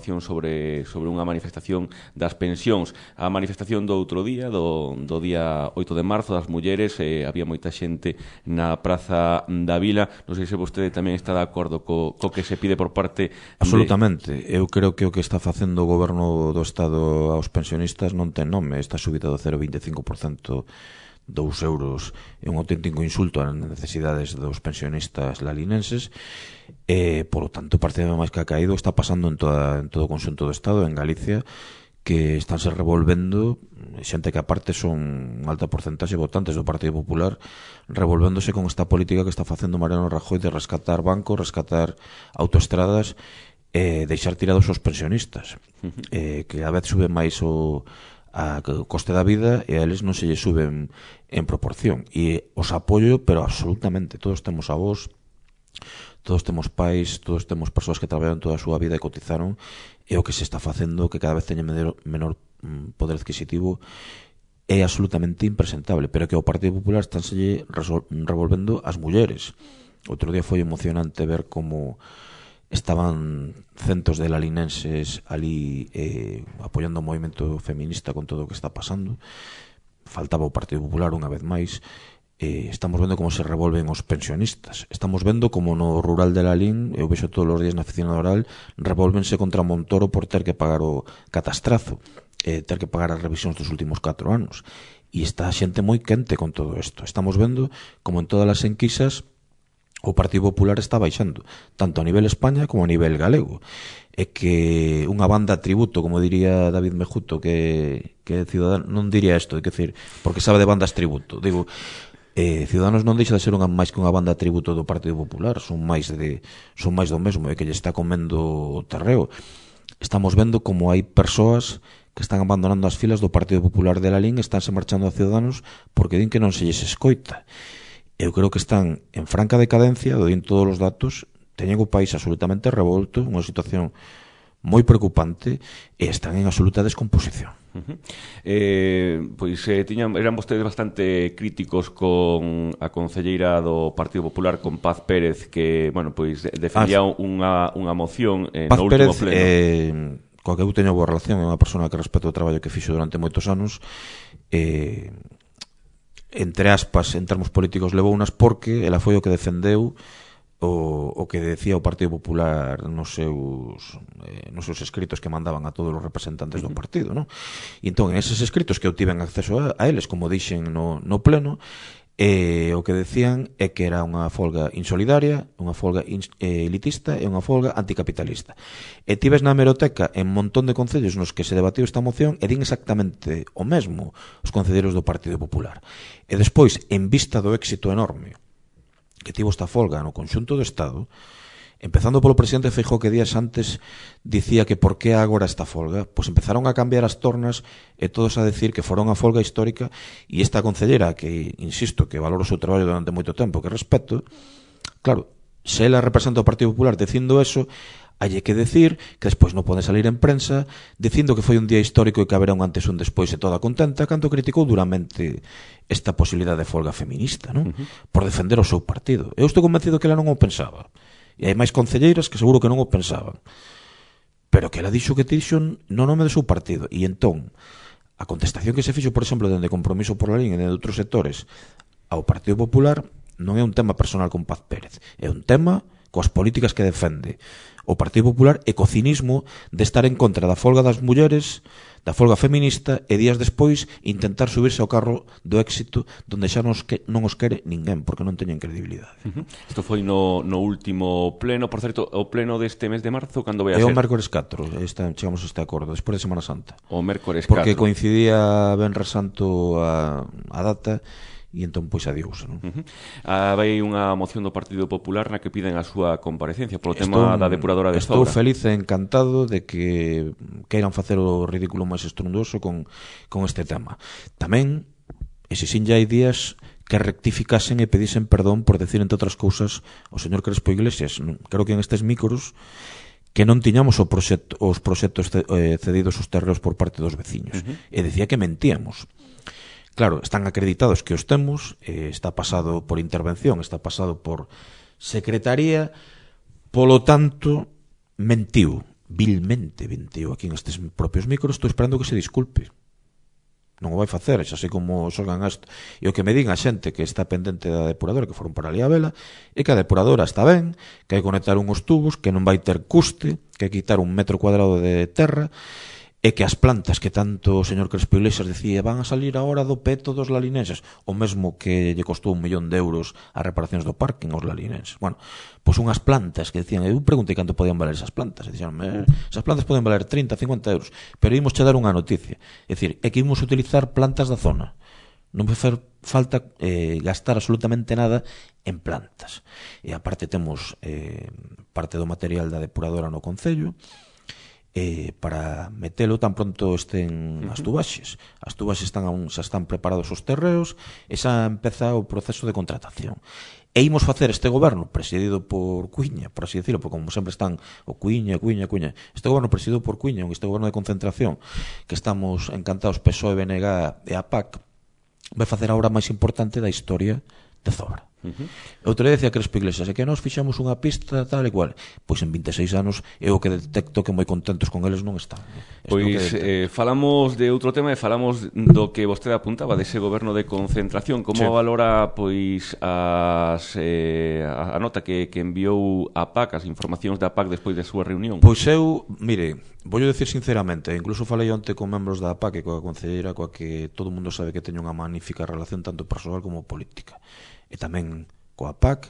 información sobre unha manifestación das pensións. A manifestación do outro día, do día 8 de marzo, das mulleres, había moita xente na Praza da Vila. Non sei se vostede tamén está de acordo co que se pide por parte... Absolutamente. Eu creo que o que está facendo o goberno do Estado aos pensionistas non ten nome. Esta subida do 0,25%, 2 euros, é un auténtico insulto ás necesidades dos pensionistas lalinenses. Por lo tanto, o partido máis que ha caído está pasando en todo o conxunto do Estado, en Galicia, que estánse revolvendo xente que aparte son unha alta porcentaxe de votantes do Partido Popular, revolvéndose con esta política que está facendo Mariano Rajoy de rescatar bancos, rescatar autoestradas, deixar tirados os pensionistas, que cada vez sube máis o coste da vida e a eles non se lle suben en proporción. E os apoio, pero absolutamente. Todos temos avós, todos temos pais, todos temos persoas que traballaron toda a súa vida e cotizaron, e o que se está facendo, que cada vez teñen menor poder adquisitivo, é absolutamente impresentable. Pero que ao Partido Popular estánse revolvendo as mulleres. Outro día foi emocionante ver como estaban centos de lalinenses ali apoiando o movimento feminista con todo o que está pasando. Faltaba o Partido Popular unha vez máis. Estamos vendo como se revolven os pensionistas. Estamos vendo como no rural de Lalín, eu vexo todos os días na oficina oral, revolvense contra Montoro por ter que pagar o catastrazo, ter que pagar as revisións dos últimos 4 anos. E está a xente moi quente con todo isto. Estamos vendo como en todas as enquisas o Partido Popular está baixando, tanto a nivel España como a nivel galego. É que unha banda tributo, como diría David Mejuto, que Ciudadanos non diría isto, é decir, porque sabe de bandas tributo. Digo, Ciudadanos non deixa de ser máis que unha banda tributo do Partido Popular, son máis do mesmo, é que lle está comendo o terreo. Estamos vendo como hai persoas que están abandonando as filas do Partido Popular de Lalín, estánse marchando a Ciudadanos porque din que non se lles escoita. Eu creo que están en franca decadencia, do din todos os datos, teñen o país absolutamente revolto, unha situación moi preocupante, e están en absoluta descomposición. Pois eran vostedes bastante críticos con a concelleira do Partido Popular, con Paz Pérez, que, bueno, pois defendía unha moción Paz no último Pérez, pleno. coa que eu teño boa relación, é unha persona que respeto o traballo que fixo durante moitos anos, entre aspas, en termos políticos levou unas porque ela foi o que defendeu o que decía o Partido Popular nos seus escritos que mandaban a todos os representantes do partido, non? E entón, en eses escritos que eu tiven acceso a eles, como dixen no pleno, o que decían é que era unha folga insolidaria, unha folga elitista e unha folga anticapitalista. E tives na hemeroteca en un montón de concellos nos que se debatiu esta moción e din exactamente o mesmo os concelleiros do Partido Popular. E despois, en vista do éxito enorme que tivo esta folga no conxunto do Estado, empezando polo presidente Feijóo, que días antes dicía que por que agora esta folga, pois empezaron a cambiar as tornas e todos a decir que fora unha folga histórica, e esta concellera, que insisto, que valoro o seu traballo durante moito tempo, que respeto, claro, se ela representa o Partido Popular dicindo eso, hai que decir que despois non pode salir en prensa dicindo que foi un día histórico e que haberá un antes e un despois e toda contenta, canto criticou duramente esta posibilidade de folga feminista, non? Por defender o seu partido. Eu estou convencido que ela non o pensaba. E hai máis concelleiras que seguro que non o pensaban, pero que ela dixo que dixo no nome do seu partido. E entón, a contestación que se fixo, por exemplo, dende Compromiso por Lalín e de outros sectores ao Partido Popular non é un tema personal con Paz Pérez, é un tema coas políticas que defende o Partido Popular e co cinismo de estar en contra da folga das mulleres, da folga feminista, e días despois intentar subirse ao carro do éxito donde xa non os quere ninguén, porque non teñen credibilidade. Isto foi no último pleno, por certo, o pleno deste mes de marzo, cando vai a ser? É o mércores 4, chegamos a este acordo, despois de Semana Santa. O mércores 4. Porque coincidía Venres Santo a data, e entón pois adiós, non? Vai unha moción do Partido Popular na que piden a súa comparecencia polo tema da depuradora de Zobra. Estou feliz e encantado de que queiran facer o ridículo máis estrondoso con este tema. Tamén exixín ya hai días que rectificasen e pedisen perdón por decir, entre outras cousas, o señor Crespo Iglesias. Creo que en estes micros que non tiñamos os proxectos cedidos os terreos por parte dos veciños. E decía que mentíamos. Claro, están acreditados que os temos, está pasado por intervención, está pasado por secretaría, polo tanto, mentiu. vilmente, venteo aquí en estes propios micros, estou esperando que se disculpe. Non o vai facer, xa sei como xorgan isto. E o que me diga a xente que está pendente da depuradora, que foron para ali a vela, é que a depuradora está ben, que hai que conectar unhos tubos, que non vai ter custe, que hai que quitar 1 metro cuadrado de terra, e que as plantas que tanto o señor Crespo Iglesias decía van a salir agora do peto dos lalinenses, o mesmo que lle costou 1 millón de euros as reparacións do parking aos lalinenses. Bueno, pois unhas plantas que decían, eu preguntei canto podían valer esas plantas, e dixeron, esas plantas poden valer 30, 50 euros, pero imos che dar unha noticia, é dicir, é que imos utilizar plantas da zona, non vai fer falta gastar absolutamente nada en plantas. E aparte temos parte do material da depuradora no concello, para metelo tan pronto estén as tubaxes. As tubaxes xa están preparados os terreos e xa empeza o proceso de contratación. E imos facer este goberno presidido por Cuíña, por así decirlo, porque como sempre están o Cuíña, este goberno presidido por Cuíña, este goberno de concentración, que estamos encantados PSOE, BNG e a PAC, vai facer a obra máis importante da historia de Zobra. Outro día decía Crespo Iglesias, é que nós fixamos unha pista tal e cual, pois en 26 anos eu o que detecto que moi contentos con eles non están. Pois falamos de outro tema e falamos do que vostede apuntaba dese goberno de concentración. Como valora pois a nota que enviou a PAC, as informacións da PAC despois da súa reunión? Pois eu, mire, voulle decir sinceramente, incluso falei onte con membros da PAC e coa concelleira coa que todo o mundo sabe que teño unha magnífica relación tanto persoal como política, e tamén coa PAC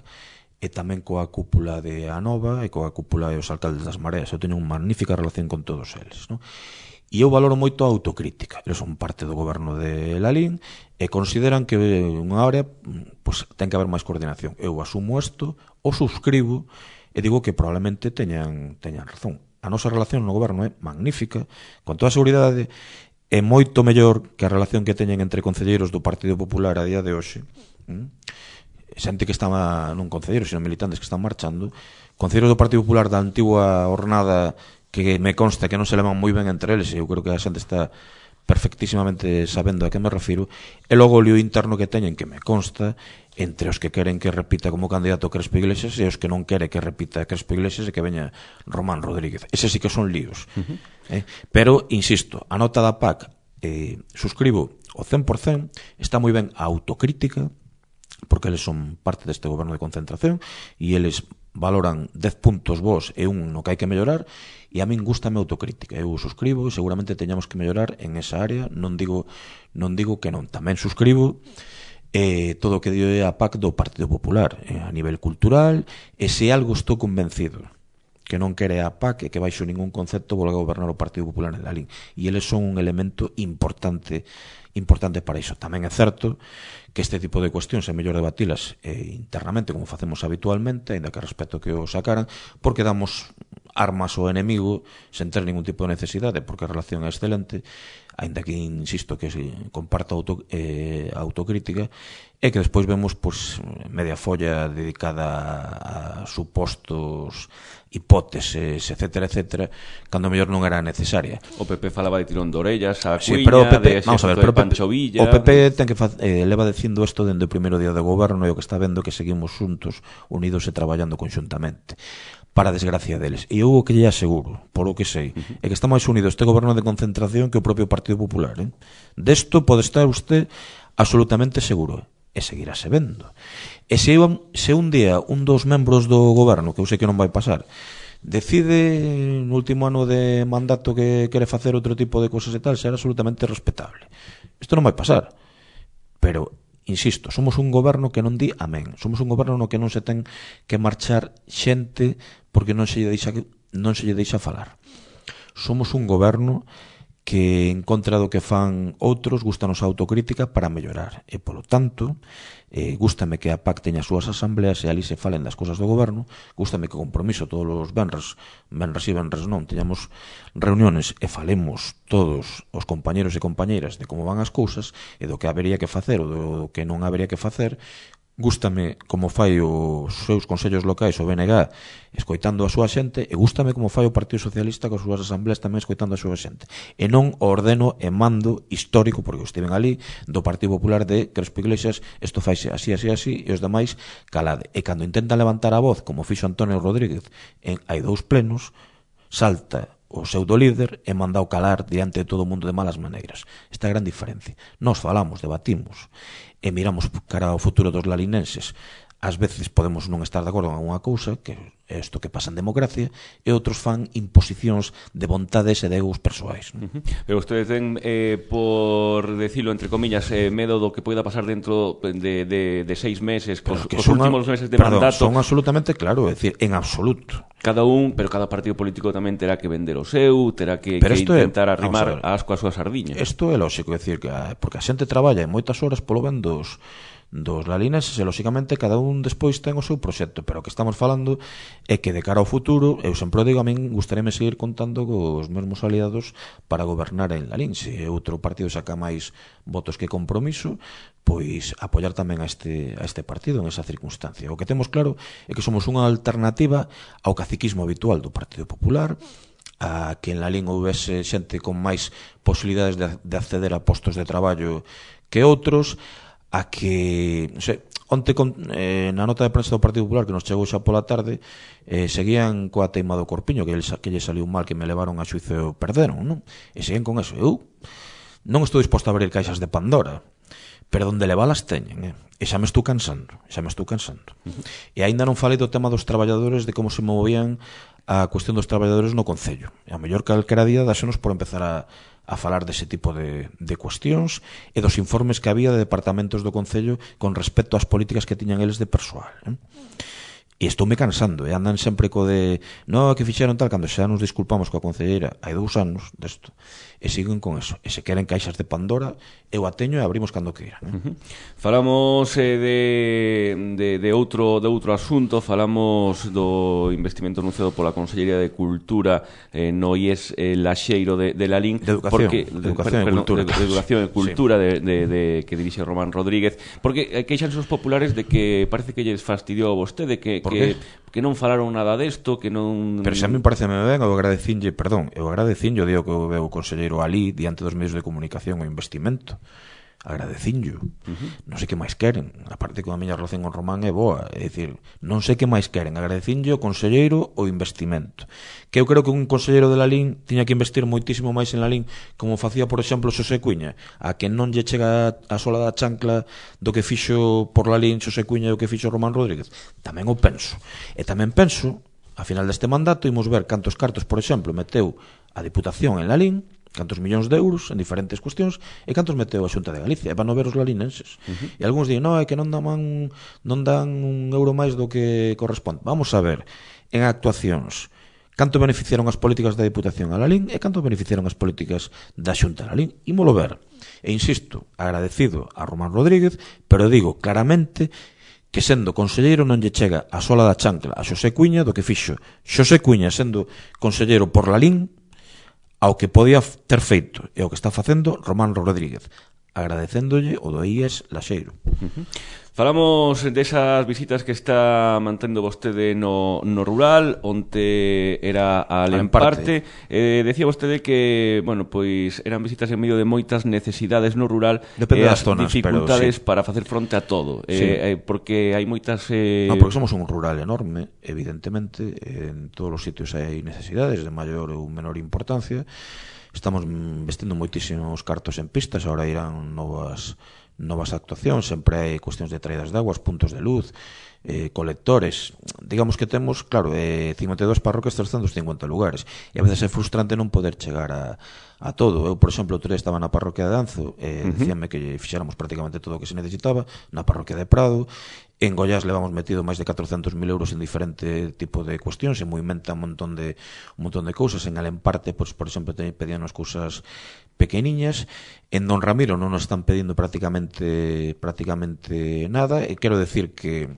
e tamén coa cúpula de Anova e coa cúpula dos alcaldes das Mareas. Eu teño unha magnífica relación con todos eles, non? E eu valoro moito a autocrítica. Eles son parte do goberno de Lalín e consideran que unha área pues, ten que haber máis coordinación. Eu asumo isto, o subscribo e digo que probablemente teñan razón. A nosa relación no goberno é magnífica, con toda a seguridade, é moito mellor que a relación que teñen entre concelleiros do Partido Popular a día de hoxe, xente que estaba non concelleiros, sino militantes que están marchando, concelleiros do Partido Popular da antigua hornada que me consta que non se levan moi ben entre eles, e eu creo que a xente está perfectísimamente sabendo a que me refiro, e logo o lío interno que teñen, que me consta, entre os que queren que repita como candidato Crespo Iglesias e os que non quere que repita Crespo Iglesias e que veña Román Rodríguez. Ese sí que son líos. Pero, insisto, a nota da PAC suscribo o 100%, está moi ben a autocrítica, porque eles son parte deste goberno de concentración e eles valoran 10 puntos vos e un no que hai que mellorar, e a min gustame a autocrítica. Eu suscribo e seguramente teñamos que mellorar en esa área, non digo que non. Tamén suscribo todo o que dio a PAC do Partido Popular a nivel cultural, e se algo estou convencido que non quere a PAC e que baixo ningún concepto volga a gobernar o Partido Popular en Lalín, e eles son un elemento importante para iso. Tamén é certo que este tipo de cuestións é mellor debatilas internamente, como facemos habitualmente, ainda que respeto que o sacaran, porque damos armas ao enemigo sen ter ningún tipo de necesidade, porque a relación é excelente, ainda que insisto que comparta autocrítica, e que despois vemos pues, media folla dedicada a supostos hipóteses, etcétera, cando mellor non era necesaria. O PP falaba de tirón de orellas, a Cuíña, sí, pero o PP, de xerto de Pancho Villa. O PP ten que leva dicindo isto dende o primeiro día de goberno, e o que está vendo que seguimos xuntos, unidos e traballando conxuntamente, para a desgracia deles. E eu o que lle aseguro, por o que sei, é que está máis unido este goberno de concentración que o propio Partido Popular. Desto pode estar usted absolutamente seguro, e seguirase vendo. E se un día un dos membros do goberno, que eu sei que non vai pasar, decide no último ano de mandato que quere facer outro tipo de cosas e tal, será absolutamente respetable. Isto non vai pasar. Pero, insisto, somos un goberno que non di amén. Somos un goberno no que non se ten que marchar xente porque non se lle deixa falar. Somos un goberno que en contra do que fan outros gustanos a autocrítica para mellorar, e polo tanto gústame que a PAC teña as súas asambleas e ali se falen das cosas do goberno, gústame que o compromiso todos os venres e venres non, teñamos reuniones e falemos todos os compañeros e compañeiras de como van as cousas e do que habería que facer ou do que non habería que facer. Gústame como fai os seus consellos locais, o BNG, escoitando a súa xente, e gústame como fai o Partido Socialista coas súas asambleas tamén escoitando a súa xente. E non o ordeno e mando histórico, porque eu estiven ali, do Partido Popular de Crespo Iglesias, isto faise así, e os demais calade. E cando intentan levantar a voz, como fixo Antonio Rodríguez hai 2 plenos, salta o pseudo líder e manda o calar diante de todo o mundo de malas maneiras. Esta é a gran diferencia. Nós falamos, debatimos e miramos cara ao futuro dos lalinenses. Ás veces podemos non estar de acordo en alguna cousa, que é isto que pasa en democracia, e outros fan imposicións de vontades e de egos persoais. Pero ustedes ten, por decirlo entre comillas, medo do que poida pasar dentro de 6 meses, cos últimos meses de mandato. Son absolutamente claro, é dicir, en absoluto. Cada partido político tamén terá que vender o seu, terá que intentar arrimar asco a súa sardiña. Isto é lógico, é dicir, porque a xente traballa en moitas horas polo ben dos lalinenses e, lóxicamente, cada un despois ten o seu proxecto, pero o que estamos falando é que de cara ao futuro, eu sempre digo, a min gustaríame seguir contando cos mesmos aliados para gobernar en Lalín. Se outro partido saca máis votos que Compromiso, pois apoiar tamén a este partido en esa circunstancia. O que temos claro é que somos unha alternativa ao caciquismo habitual do Partido Popular, a que en Lalín houvese xente con máis posibilidades de acceder a postos de traballo que outros, a que, non sei, onte na nota de prensa do Partido Popular que nos chegou xa pola tarde, seguían coa teima do Corpiño, que lle saliu mal, que me levaron a xuizo e perderon, non? E seguían con eso. Eu non estou disposto a abrir caixas de Pandora, pero onde levalas teñen, e xa me estou cansando. E aínda non falei do tema dos traballadores, de como se movían a cuestión dos traballadores no Concello. E a mellor calquera día dásenos por empezar a falar dese tipo de cuestións e dos informes que había de departamentos do Concello con respecto ás políticas que tiñan eles de persoal. E estoume cansando, e andan sempre co de non, que fixeron tal, cando xa nos disculpamos coa concelleira hai 2 anos desto, e siguen con eso, e se queren caixas de Pandora, eu a teño e abrimos cando queiran. Falamos de outro asunto, falamos do investimento anunciado pola Consellería de Cultura no IES Laxeiro de Lalín, de Educación e Cultura que dirixe Román Rodríguez, porque queixanse os populares de que parece que lles fastidiou a vostede, que non falaron nada desto, que non... Pero xa me parece ben, eu agradecinlle digo que o conselleiro alí diante dos medios de comunicación o investimento. Agradecinllo. Non sei que máis queren. Aparte que a miña relación con Román é boa, é dicir, non sei que máis queren. Agradecinllo o conselleiro o investimento. Que eu creo que un conselleiro de Lalín tiña que investir moitísimo máis en Lalín, como facía, por exemplo, Xosé Cuña, a que non lle chega a sola da chancla do que fixo por Lalín Xosé Cuña e o que fixo Román Rodríguez. Tamén o penso. E tamén penso, a final deste mandato, imos ver cantos cartos, por exemplo, meteu a Diputación en Lalín, cantos millóns de euros en diferentes cuestións, e cantos meteu a Xunta de Galicia, e van a ver os lalinenses. E algúns din, non, é que non dan un euro máis do que corresponde. Vamos a ver, en actuacións, canto beneficiaron as políticas da Diputación a Lalín e canto beneficiaron as políticas da Xunta a Lalín. Ímolo ver. E insisto, agradecido a Román Rodríguez, pero digo claramente que sendo conselleiro non lle chega a sola da chancla a Xosé Cuña do que fixo Xosé Cuña sendo conselleiro por Lalín ao que podía ter feito e o que está facendo Román Rodríguez, agradecéndolle o do IES Laxeiro. Falamos desas visitas que está mantendo vostede no rural, onde era a Alemparte. Decía vostede que, bueno, pois eran visitas en medio de moitas necesidades no rural, depende das zonas, dificultades pero, sí, para facer fronte a todo, porque hai moitas... Non, porque somos un rural enorme, evidentemente, en todos os sitios hai necesidades de maior ou menor importancia. Estamos vestindo moitísimos cartos en pistas, agora irán novas actuacións, sempre hai cuestións de traídas de aguas, puntos de luz, colectores. Digamos que temos, claro, 52 parroquias, 350 lugares, e a veces é frustrante non poder chegar a todo. Eu, por exemplo, outro día estaba na parroquia de Anzo, dicíame que fixéramos prácticamente todo o que se necesitaba, na parroquia de Prado. En Goiás levamos metido máis de 400.000 euros en diferente tipo de cuestións, se movimenta un montón de cousas. En Alemparte, por exemplo, pedíanos cousas pequeniñas. En Don Ramiro non nos están pedindo prácticamente nada, e quero decir que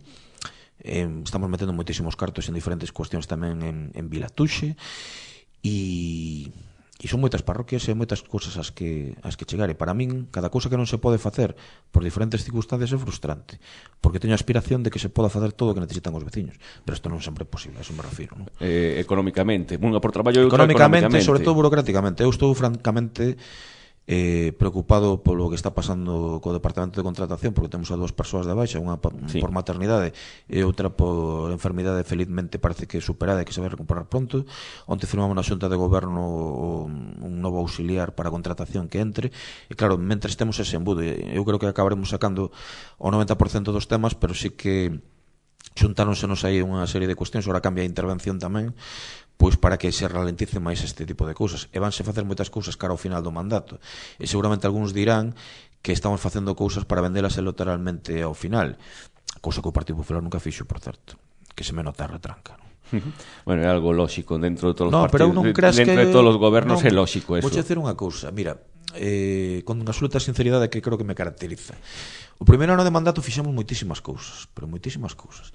estamos metendo moitísimos cartos en diferentes cuestións tamén en Vilatuxe, e son moitas parroquias e moitas cousas as que chegar, e para min cada cousa que non se pode facer por diferentes circunstancias é frustrante, porque teño a aspiración de que se poda facer todo o que necesitan os veciños, pero isto non sempre é posible, a eso me refiro, non? Económicamente, unha por traballo e outra económicamente, sobre todo burocráticamente. Eu estou francamente preocupado polo que está pasando co Departamento de Contratación, porque temos a 2 persoas de baixa, unha por maternidade e outra por enfermidade, felizmente parece que superada e que se vai recuperar pronto. Onte firmamos na Xunta de Goberno un novo auxiliar para a contratación que entre, e claro, mentres temos ese embudo, eu creo que acabaremos sacando o 90% dos temas, pero sí que xuntáronsenos aí unha serie de cuestións. Ora cambia a intervención tamén, pois para que se ralentice máis este tipo de cousas, e vanse facer moitas cousas cara ao final do mandato, e seguramente algúns dirán que estamos facendo cousas para vendelas electoralmente ao final, cousa que o Partido Popular nunca fixo, por certo, que se me nota a retranca, non? Bueno, é algo lóxico dentro de todos os partidos, dentro de todos os gobernos é lóxico eso. Vou dizer unha cousa, mira, con absoluta sinceridade que creo que me caracteriza. O primeiro ano de mandato fixemos moitísimas cousas, pero moitísimas cousas.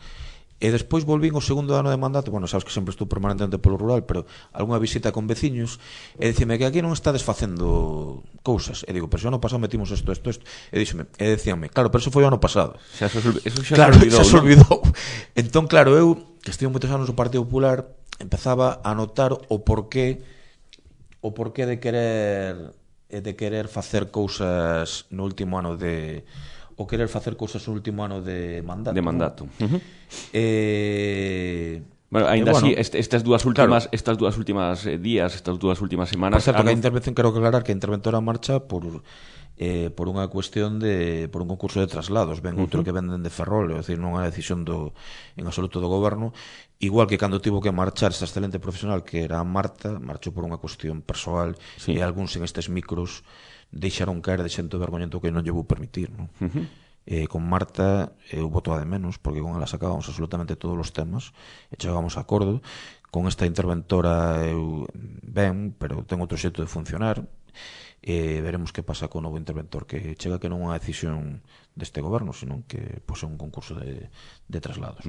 E despois volvín o segundo ano de mandato, bueno, sabes que sempre estou permanentemente polo rural, pero algunha visita con veciños, e dicime que aquí non estades facendo cousas. E digo, pero xa ano pasado metimos isto. E dicíame, claro, pero eso foi o ano pasado. Eso xa claro, se olvidou. Entón, claro, eu, que estive moitos anos no Partido Popular, empezaba a notar o porqué de querer facer cousas no último ano de... o querer facer cousas no último ano de mandato. De mandato. Bueno, ainda así, estas dúas últimas días, estas dúas últimas semanas... Por certo, que a intervención, quero aclarar que a interventora marcha por unha cuestión por un concurso de traslados, ben outro que venden de Ferrol, é dicir, non é unha decisión en absoluto do goberno, igual que cando tivo que marchar esa excelente profesional que era Marta, marchou por unha cuestión persoal, e algúns en estes micros deixaron caer de xento vergoñento que non lle vou permitir, non? Con Marta eu voto a de menos, porque con ela sacábamos absolutamente todos os temas e chegábamos a acordo. Con esta interventora eu ben, pero ten outro xeito de funcionar, e veremos que pasa co novo interventor, que chega que non é unha decisión deste goberno, sino que é un concurso de traslados.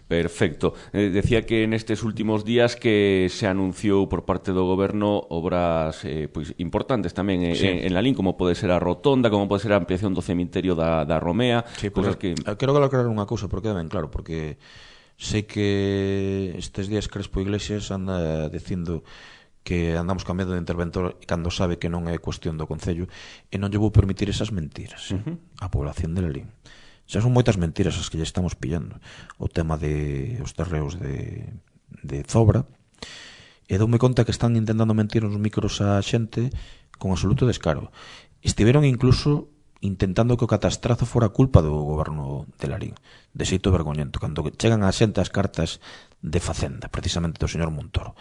Perfecto. Decía que nestes últimos días que se anunciou por parte do goberno obras pois importantes tamén en Lalín, como pode ser a rotonda, como pode ser a ampliación do cemiterio da Romea. Quero aclarar unha cousa, porque é ben claro, porque sei que estes días Crespo Iglesias anda dicindo que andamos cambiando de interventor cando sabe que non é cuestión do Concello, e non lle vou permitir esas mentiras á población de Lalín. Xa son moitas mentiras as que lle estamos pillando. O tema de os terreos de Zobra, e doume conta que están intentando mentir nos micros a xente con absoluto descaro. Estiveron incluso intentando que o catastrazo fora culpa do goberno de Lalín, de xeito vergoñento, cando chegan a xente as cartas de Facenda, precisamente do señor Montoro.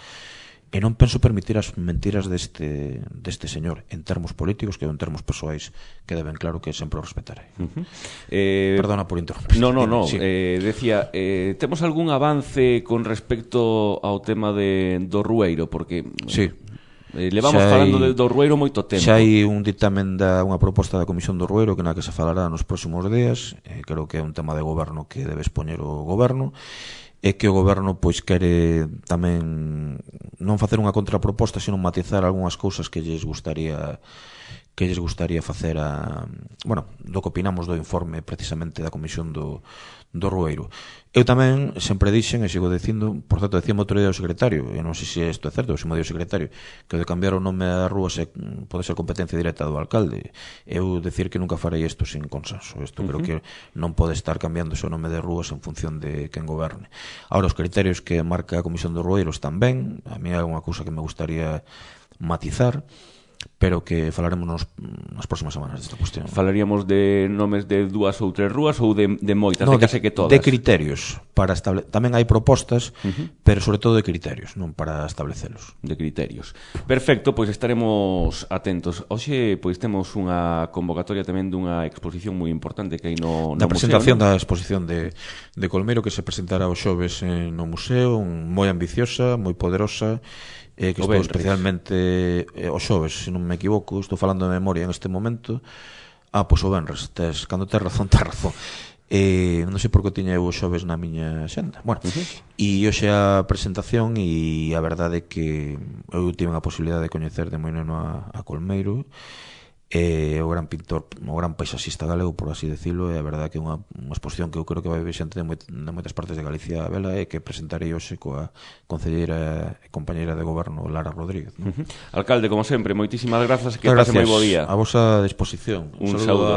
E non penso permitir as mentiras deste señor en termos políticos, que en termos persoais queda ben claro que sempre o respetarei. Perdona por interrumpir. No. Sí. Decía, temos algún avance con respecto ao tema do Rueiro? Porque sí, levamos falando do Rueiro moito tempo. Xa hai un dictamen unha proposta da Comisión do Rueiro que na que se falará nos próximos días. Creo que é un tema de goberno que debe expoñer o goberno, e que o goberno pois quere tamén non facer unha contraproposta, sino matizar algunhas cousas que lles gustaría facer do que opinamos do informe precisamente da Comisión do Rueiro. Eu tamén sempre dixen, e sigo dicindo, por certo, decía outro día o secretario, e non sei se isto é certo, se me dio o secretario, que o de cambiar o nome a rúa pode ser competencia directa do alcalde. Eu decir que nunca farei isto sin consenso. Isto creo que non pode estar cambiando o nome de rúas en función de quen goberne. Ahora, os criterios que marca a Comisión do Rueiro están ben, a mí é unha cousa que me gustaría matizar, pero que falaremos nas próximas semanas desta cuestión. Falaríamos de nomes de 2 ou 3 rúas ou de moitas, de case que todas? De criterios para tamén hai propostas, pero sobre todo de criterios, non para establecelos. De criterios. Perfecto, pois estaremos atentos. Hoxe pois temos unha convocatoria tamén dunha exposición moi importante que hai no da presentación museo, da exposición de Colmeiro, que se presentará os xoves no museo, moi ambiciosa, moi poderosa, que estou especialmente o xoves, se non me equivoco, estou falando de memoria en este momento. Pois o venres, cando tes razón, non sei por que tiña eu o xoves na miña xenda. Bueno, e hoxe a presentación, e a verdade é que eu tive a posibilidade de coñecer de moi neno a Colmeiro, é o gran pintor, o gran paisaxista galego, por así decirlo, e a verdade que é unha exposición que eu creo que vai ver xente de moitas partes de Galicia a vela, e que presentarei hoxe coa concelleira e compañeira de goberno Lara Rodríguez, ¿no? Alcalde, como sempre, moitísimas grazas e que pase moi bo día. A vosa disposición. Un saúdo.